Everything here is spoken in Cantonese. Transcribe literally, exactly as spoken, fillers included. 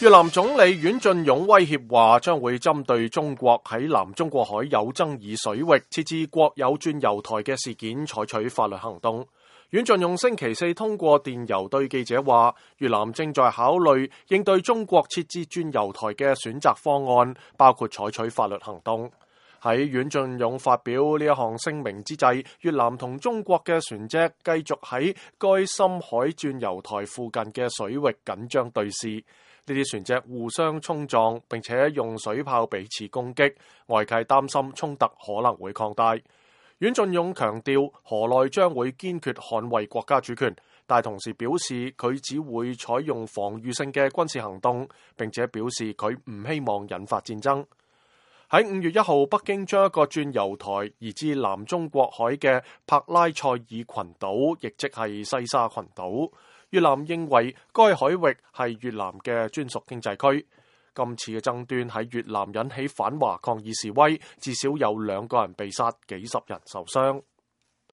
越南總理阮晉勇威脅話，將會針對中國喺南中國海有爭議水域設置國有鑽油台嘅事件採取法律行動。阮晉勇星期四通過電郵對記者話，越南正在考慮應對中國設置鑽油台嘅選擇方案，包括採取法律行動。喺阮晉勇發表呢一項聲明之際，越南同中國嘅船隻繼續喺該深海鑽油台附近嘅水域緊張對視。呢啲船隻互相衝撞，並且用水炮彼此攻擊，外界擔心衝突可能會擴大。阮晉勇強調，河內將會堅決捍衛國家主權，但同時表示佢只會採用防禦性嘅軍事行動，並且表示佢唔希望引發戰爭。喺五月一號，北京將一個鑽油台移至南中國海嘅帕拉塞爾群島，亦即係西沙群島。越南認為該海域係越南嘅專屬經濟區。今次嘅爭端喺越南引起反華抗議示威，至少有兩個人被殺，幾十人受傷。